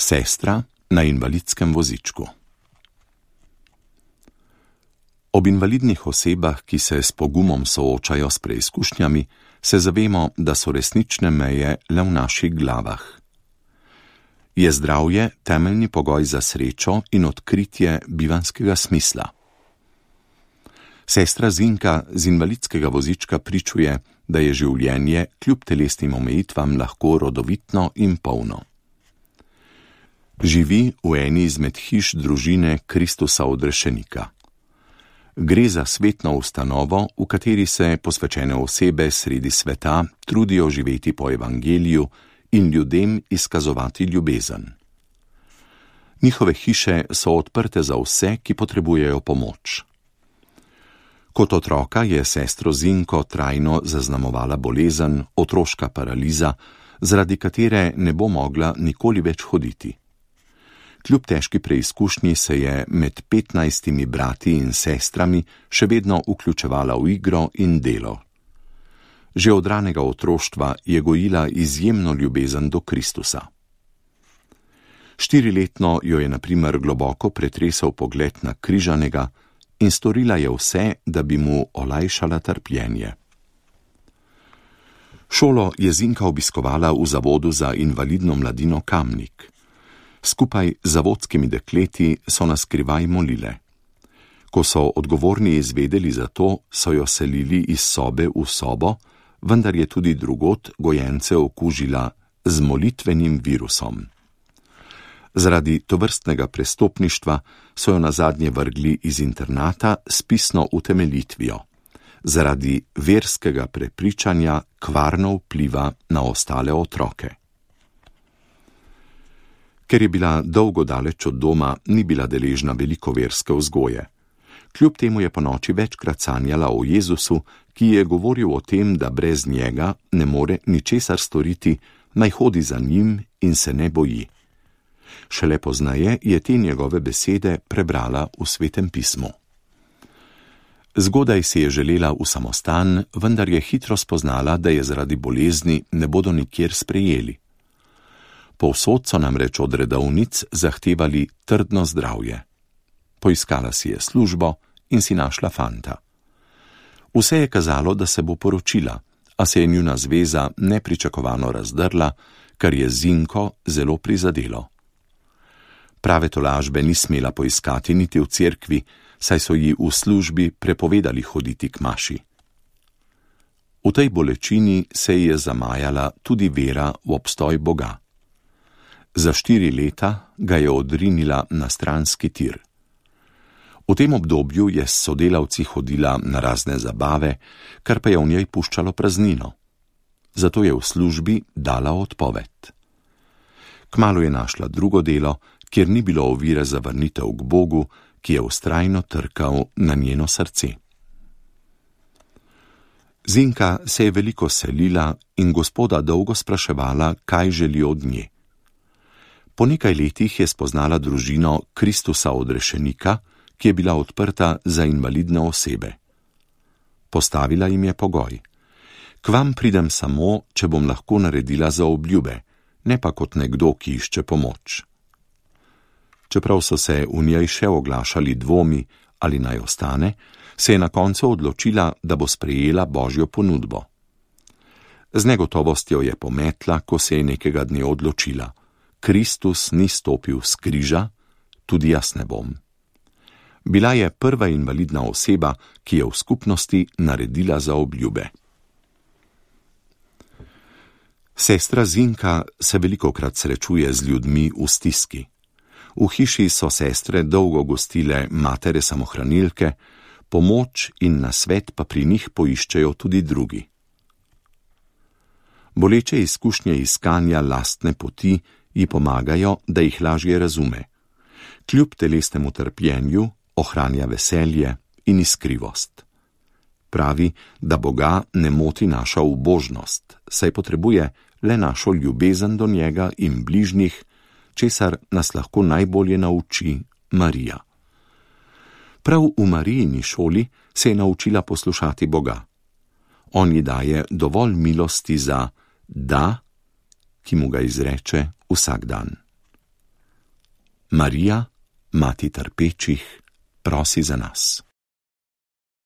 Sestra na invalidskem vozičku. Ob invalidnih osebah, ki se s pogumom soočajo s preizkušnjami, se zavemo, da so resnične meje le v naših glavah. Je zdravje temeljni pogoj za srečo in odkritje bivanjskega smisla. Sestra Zinka z invalidskega vozička pričuje, da je življenje kljub telesnim omejitvam lahko rodovitno in polno. Živi v eni izmed hiš družine Kristusa Odrešenika. Gre za svetno ustanovo, v kateri se posvečene osebe sredi sveta trudijo živeti po evangeliju in ljudem izkazovati ljubezen. Njihove hiše so odprte za vse, ki potrebujejo pomoč. Kot otroka je sestro Zinko trajno zaznamovala bolezen, otroška paraliza, zaradi katere ne bo mogla nikoli več hoditi. Kljub težki preizkušnji se je med 15 brati in sestrami še vedno vključevala v igro in delo. Že od ranega otroštva je gojila izjemno ljubezen do Kristusa. 4-letno jo je na primer globoko pretresal pogled na križanega in storila je vse, da bi mu olajšala trpljenje. Šolo je Zinka obiskovala v Zavodu za invalidno mladino Kamnik. Skupaj z zavodskimi dekleti so na skrivaj molile. Ko so odgovorni izvedeli za to, so jo selili iz sobe v sobo, vendar je tudi drugod gojence okužila z molitvenim virusom. Zaradi tovrstnega prestopništva so jo nazadnje vrgli iz internata s pisno utemeljitvijo. Zaradi verskega prepričanja kvarno vpliva na ostale otroke. Ker je bila dolgo daleč od doma, ni bila deležna veliko verske vzgoje. Kljub temu je ponoči večkrat sanjala o Jezusu, ki je govoril o tem, da brez njega ne more ničesar storiti, naj hodi za njim in se ne boji. Šele poznaje je te njegove besede prebrala v Svetem pismu. Zgodaj si je želela v samostan, vendar je hitro spoznala, da je zaradi bolezni ne bodo nikjer sprejeli. Povsod so namreč od redovnic zahtevali trdno zdravje. Poiskala si je službo in si našla fanta. Vse je kazalo, da se bo poročila, a se je njuna zveza nepričakovano razdrla, kar je Zinko zelo prizadelo. Prave tolažbe ni smela poiskati niti v cerkvi, saj so ji v službi prepovedali hoditi k maši. V tej bolečini se ji je zamajala tudi vera v obstoj Boga. Za 4 leta ga je odrinila na stranski tir. V tem obdobju je s sodelavci hodila na razne zabave, kar pa je v njej puščalo praznino. Zato je v službi dala odpoved. Kmalu je našla drugo delo, kjer ni bilo ovire za vrnitev k Bogu, ki je vztrajno trkal na njeno srce. Zinka se je veliko selila in Gospoda dolgo spraševala, kaj želi od nje. Po nekaj letih je spoznala družino Kristusa Odrešenika, ki je bila odprta za invalidne osebe. Postavila jim je pogoj: k vam pridem samo, če bom lahko naredila za obljube, ne pa kot nekdo, ki išče pomoč. Čeprav so se v njej še oglašali dvomi, ali naj ostane, se je na koncu odločila, da bo sprejela Božjo ponudbo. Z negotovostjo je pometla, ko se je nekega dne odločila: Kristus ni stopil s križa, tudi jaz ne bom. Bila je prva invalidna oseba, ki je v skupnosti naredila za obljube. Sestra Zinka se velikokrat srečuje z ljudmi v stiski. V hiši so sestre dolgo gostile matere samohranilke, pomoč in nasvet pa pri njih poiščejo tudi drugi. Boleče izkušnje iskanja lastne poti ji pomagajo, da jih lažje razume. Kljub telesnemu trpljenju ohranja veselje in iskrivost. Pravi, da Boga ne moti naša ubožnost, saj potrebuje le našo ljubezen do njega in bližnjih, česar nas lahko najbolje nauči Marija. Prav v Marijini šoli se je naučila poslušati Boga. On ji daje dovolj milosti za da, ki mu ga izreče vsak dan. Marija, mati trpečih, prosi za nas.